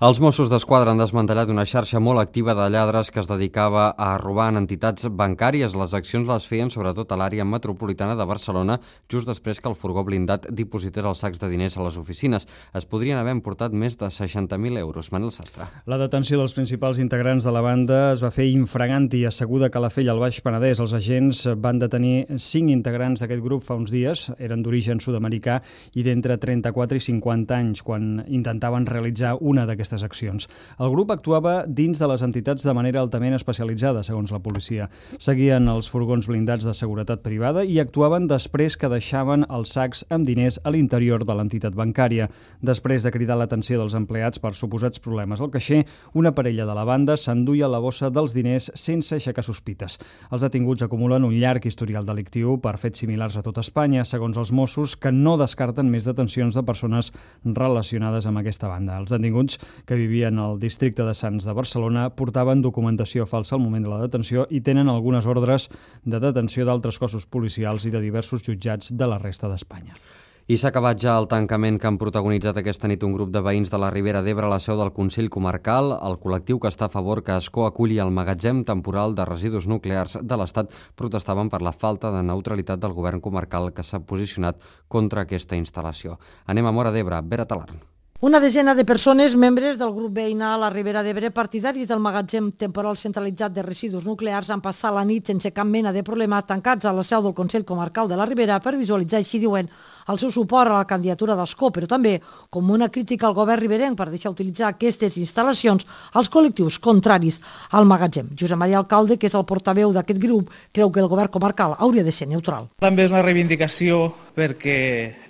Els Mossos d'Esquadra han desmantellat una xarxa molt activa de lladres que es dedicava a robar en entitats bancàries. Les accions les feien sobretot a l'àrea metropolitana de Barcelona, just després que el furgó blindat diposités els sacs de diners a les oficines. Es podrien haver emportat més de 60.000 euros. Manel Sastre. La detenció dels principals integrants de la banda es va fer infraganti. Asseguda a Calafell, al Baix Penedès, els agents van detenir 5 integrants d'aquest grup fa uns dies. Eren d'origen sud-americà i d'entre 34 i 50 anys, quan intentaven realitzar una d'aquestes accions. El grup actuava dins de les entitats de manera altament especialitzada, segons la policia. Seguien els furgons blindats de seguretat privada i actuaven després que deixaven els sacs amb diners a l'interior de l'entitat bancària. Després de cridar l'atenció dels empleats per suposats problemes al caixer, una parella de la banda s'enduia la bossa dels diners sense aixecar sospites. Els detinguts acumulen un llarg historial delictiu per fets similars a tot Espanya, segons els Mossos, que no descarten més detencions de persones relacionades amb aquesta banda. Els detinguts, que vivien al districte de Sants de Barcelona, portaven documentació falsa al moment de la detenció i tenen algunes ordres de detenció d'altres cossos policials i de diversos jutjats de la resta d'Espanya. I s'ha acabat ja el tancament que han protagonitzat aquesta nit un grup de veïns de la Ribera d'Ebre a la seu del Consell Comarcal. El col·lectiu que està a favor que Ascó aculli el magatzem temporal de residus nuclears de l'Estat protestaven per la falta de neutralitat del govern comarcal que s'ha posicionat contra aquesta instal·lació. Anem a Móra d'Ebre, Vera Talarn. Una desena de persones, membres del grup veïnal a la Ribera d'Ebre, partidaris del magatzem temporal centralitzat de residus nuclears, han passat la nit sense cap mena de problema tancats a la seu del Consell Comarcal de la Ribera per visualitzar, així diuen, el seu suport a la candidatura d'Ascó, però també com una crítica al govern riberenc per deixar utilitzar aquestes instal·lacions als col·lectius contraris al magatzem. Josep Maria Alcalde, que és el portaveu d'aquest grup, creu que el govern comarcal hauria de ser neutral. També és una reivindicació perquè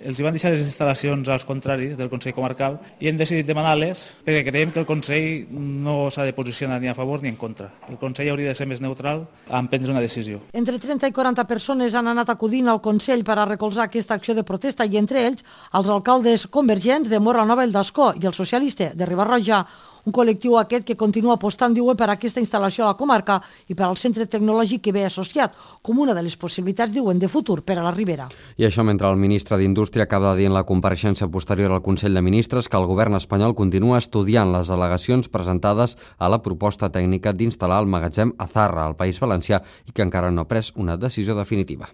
els hi van deixar les instal·lacions als contraris del Consell Comarcal i hem decidit demanar-les perquè creiem que el Consell no s'ha de posicionar ni a favor ni en contra. El Consell hauria de ser més neutral en prendre una decisió. Entre 30 i 40 persones han anat acudint al Consell per a recolzar aquesta acció de protesta i entre ells els alcaldes convergents de Móra Nova i d'Ascó i el socialista de Riba-roja. Un col·lectiu aquest que continua apostant, diuen, per aquesta instal·lació a la comarca i per al centre tecnològic que ve associat, com una de les possibilitats, diuen, de futur per a la Ribera. I això mentre el ministre d'Indústria acaba de dir en la compareixença posterior al Consell de Ministres que el govern espanyol continua estudiant les al·legacions presentades a la proposta tècnica d'instal·lar el magatzem a Zarra, al País Valencià, i que encara no ha pres una decisió definitiva.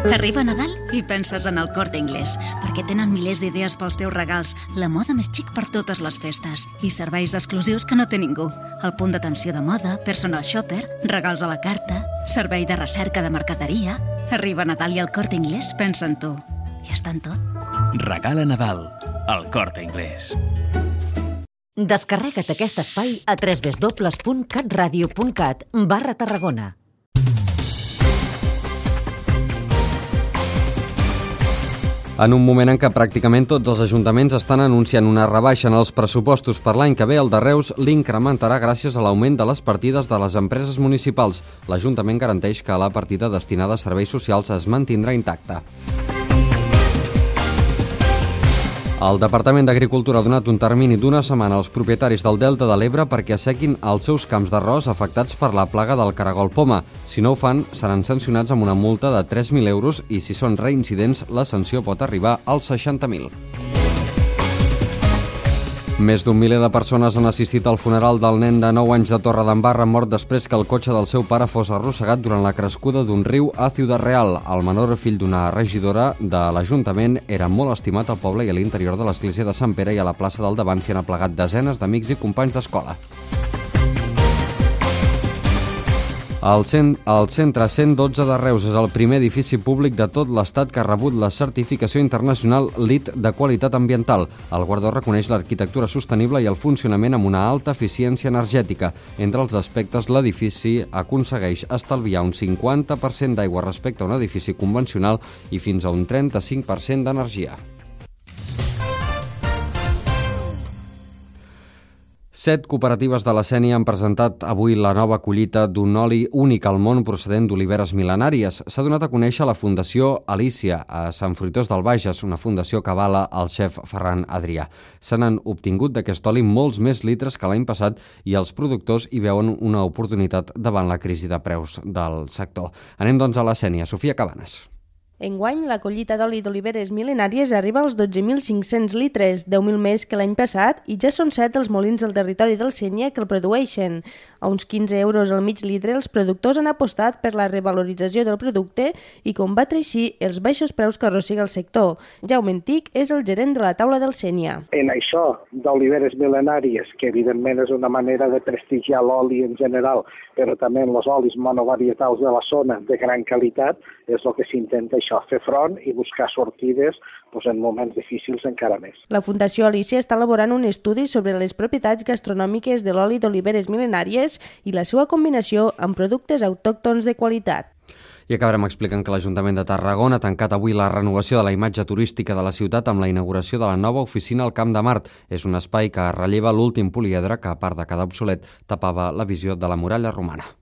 Arriba Nadal i penses en el Corte Inglés, perquè tenen milers d'idees pels teus regals, la moda més xic per totes les festes i serveis exclusius que no té ningú. El punt d'atenció de moda, personal shopper, regals a la carta, servei de recerca de mercaderia. Arriba Nadal i el Corte Inglés pensa en tu. I està en tot. Regala Nadal, al Corte Inglés. Descarrega't aquest espai a www.catradio.cat/Tarragona. En un moment en què pràcticament tots els ajuntaments estan anunciant una rebaixa en els pressupostos per l'any que ve, el de Reus l'incrementarà gràcies a l'augment de les partides de les empreses municipals. L'Ajuntament garanteix que la partida destinada a serveis socials es mantindrà intacta. El Departament d'Agricultura ha donat un termini d'una setmana als propietaris del Delta de l'Ebre perquè assequin els seus camps d'arròs afectats per la plaga del caragol poma. Si no ho fan, seran sancionats amb una multa de 3.000 euros i, si són reincidents, la sanció pot arribar als 60.000. Més d'un miler de persones han assistit al funeral del nen de 9 anys de Torredembarra mort després que el cotxe del seu pare fos arrossegat durant la crescuda d'un riu a Ciudad Real. El menor, fill d'una regidora de l'Ajuntament, era molt estimat al poble i a l'interior de l'església de Sant Pere i a la plaça del davant s'hi han aplegat desenes d'amics i companys d'escola. El Centre 112 de Reus és el primer edifici públic de tot l'Estat que ha rebut la certificació internacional LEED de qualitat ambiental. El guardó reconeix l'arquitectura sostenible i el funcionament amb una alta eficiència energètica. Entre els aspectes, l'edifici aconsegueix estalviar un 50% d'aigua respecte a un edifici convencional i fins a un 35% d'energia. 7 cooperatives de la Sénia han presentat avui la nova collita d'un oli únic al món procedent d'oliveres mil·lenàries. S'ha donat a conèixer la Fundació Alícia a Sant Fruitós del Bages, una fundació que avala el xef Ferran Adrià. Se n'han obtingut d'aquest oli molts més litres que l'any passat i els productors hi veuen una oportunitat davant la crisi de preus del sector. Anem doncs a la Sénia. Sofia Cabanes. Enguany, la collita d'oli d'oliveres mil·lenàries arriba als 12.500 litres, 10.000 més que l'any passat, i ja són 7 els molins del territori del Sénia que el produeixen. A uns 15 euros al mig litre, els productors han apostat per la revalorització del producte i combatre així els baixos preus que arrossega el sector. Jaume Antic és el gerent de la taula del Sénia. En això d'oliveres mil·lenàries, que evidentment és una manera de prestigiar l'oli en general, però també en els olis monovarietals de la zona de gran qualitat, és el que s'intenta això, fer front i buscar sortides en moments difícils encara més. La Fundació Alícia està elaborant un estudi sobre les propietats gastronòmiques de l'oli d'oliveres mil·lenàries i la seva combinació amb productes autòctons de qualitat. I acabarem explicant que l'Ajuntament de Tarragona ha tancat avui la renovació de la imatge turística de la ciutat amb la inauguració de la nova oficina al Camp de Mart. És un espai que relleva l'últim poliedre que, a part de quedar obsolet, tapava la visió de la muralla romana.